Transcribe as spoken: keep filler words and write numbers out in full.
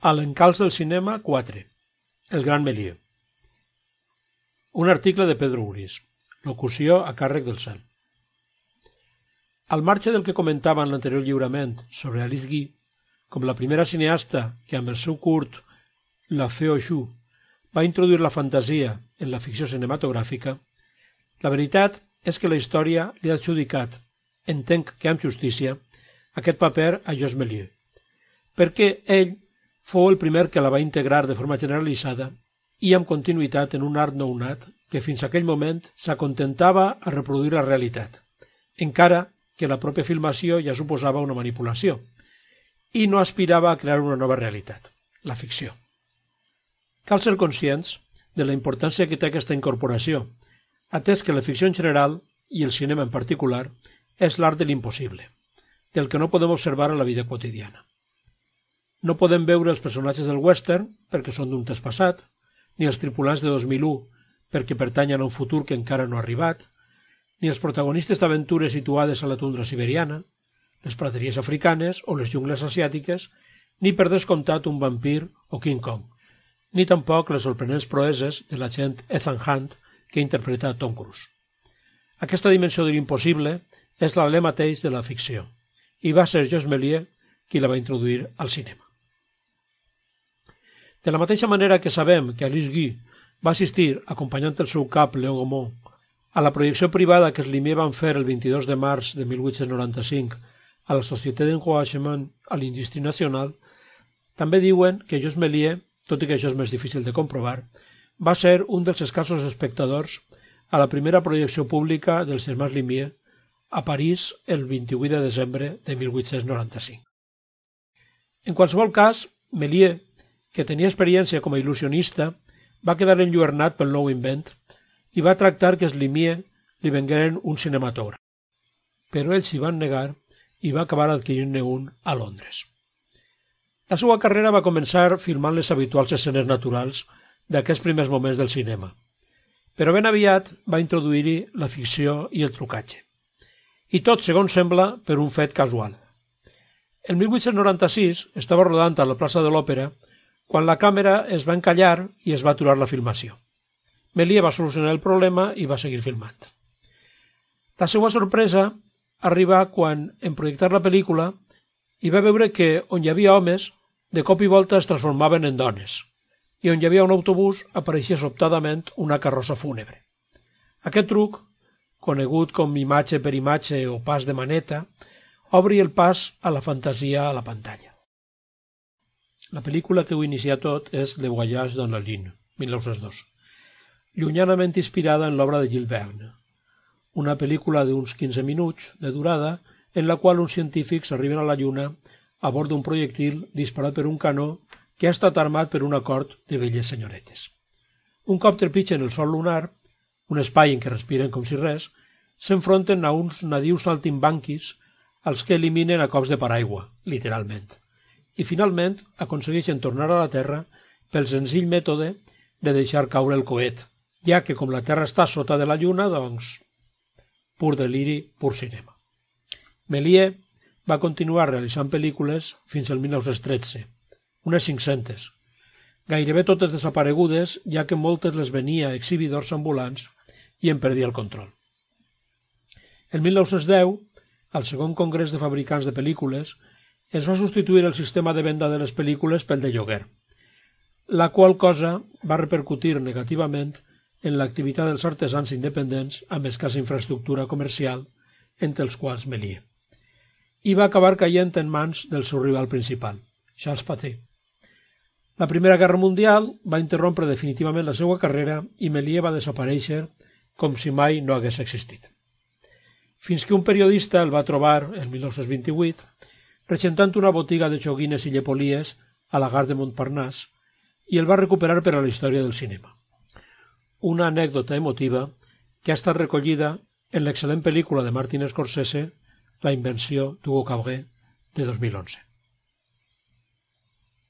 A l'encalç del cinema quatre. El gran Méliès. Un article de Pedro Uris. Locució a càrrec del Cel. Al marge del que comentava en l'anterior lliurament sobre Alice Guy, com la primera cineasta que amb el seu curt La Fée aux Choux va introduir la fantasia en la ficció cinematogràfica, la veritat és que la història li ha adjudicat, entenc que amb justícia, aquest paper a Georges Méliès, perquè ell fou el primer que la va integrar de forma generalitzada i amb continuïtat en un art nounat que fins a aquell moment s'acontentava a reproduir la realitat, encara que la pròpia filmació ja suposava una manipulació, i no aspirava a crear una nova realitat, la ficció. Cal ser conscients de la importància que té aquesta incorporació, atès que la ficció en general, i el cinema en particular, és l'art de l'impossible, del que no podem observar a la vida quotidiana. No podem veure els personatges del western perquè són d'un temps passat, ni els tripulants de dos mil u perquè pertanyen a un futur que encara no ha arribat, ni els protagonistes d'aventures situades a la tundra siberiana, les praderies africanes o les jungles asiàtiques, ni per descomptat un vampir o King Kong, ni tampoc les sorprenents proeses de l'agent Ethan Hunt que interpreta Tom Cruise. Aquesta dimensió de l'impossible és l'alè mateix de la ficció, i va ser Georges Méliès qui la va introduir al cinema. De la mateixa manera que sabem que Alice Guy va assistir, acompanyant el seu cap Léon Gaumont, a la projecció privada que els Lumière van fer el vint-i-dos de març de mil vuit-cents noranta-cinc a la Société d'Encouragement à l'Industrie Nationale, també diuen que Georges Méliès, tot i que això és més difícil de comprovar, va ser un dels escassos espectadors a la primera projecció pública dels germans Lumière a París el vint-i-vuit de desembre de mil vuit-cents noranta-cinc. En qualsevol cas, Méliès, que tenia experiència com a il·lusionista, va quedar enlluernat pel nou invent i va tractar que els Lumière li vengueren un cinematògraf. Però ells s'hi van negar i va acabar adquirint-ne un a Londres. La seva carrera va començar filmant les habituals escenes naturals d'aquests primers moments del cinema, però ben aviat va introduir-hi la ficció i el trucatge. I tot, segons sembla, per un fet casual. El mil vuit-cents noranta-sis estava rodant a la plaça de l'Òpera quan la càmera es va encallar i es va aturar la filmació. Méliès va solucionar el problema i va seguir filmant. La seva sorpresa arriba quan, en projectar la pel·lícula, hi va veure que on hi havia homes, de cop i volta es transformaven en dones, i on hi havia un autobús apareixia sobtadament una carrossa fúnebre. Aquest truc, conegut com imatge per imatge o pas de maneta, obri el pas a la fantasia a la pantalla. La pel·lícula que ho inicia tot és Le Voyage dans la Lune, mil nou-cents dos, llunyanament inspirada en l'obra de Jules Verne, una pel·lícula d'uns quinze minuts de durada en la qual uns científics arriben a la Lluna a bord d'un projectil disparat per un canó que ha estat armat per un acord de velles senyoretes. Un cop trepitgen el sol lunar, un espai en què respiren com si res, s'enfronten a uns nadius saltimbanquis als que eliminen a cops de paraigua, literalment, i finalment aconsegueixen tornar a la Terra pel senzill mètode de deixar caure el coet, ja que com la Terra està sota de la Lluna, doncs, pur deliri, pur cinema. Méliès va continuar realitzant pel·lícules fins al mil nou-cents tretze, unes cinc-centes, gairebé totes desaparegudes, ja que moltes les venia a exhibidors ambulants i en perdia el control. El mil nou-cents deu, al segon congrés de fabricants de pel·lícules, es va substituir el sistema de venda de les pel·lícules pel de lloguer, la qual cosa va repercutir negativament en l'activitat dels artesans independents amb escassa infraestructura comercial, entre els quals Méliès, i va acabar caient en mans del seu rival principal, Charles Pathé. La Primera Guerra Mundial va interrompre definitivament la seva carrera i Méliès va desaparèixer com si mai no hagués existit. Fins que un periodista el va trobar, el mil nou-cents vint-i-vuit, regentant una botiga de joguines i llepolies a la Gare de Montparnasse i el va recuperar per a la història del cinema. Una anècdota emotiva que ha estat recollida en l'excel·lent pel·lícula de Martin Scorsese, La invenció d'Hugo Cabret, de dos mil onze.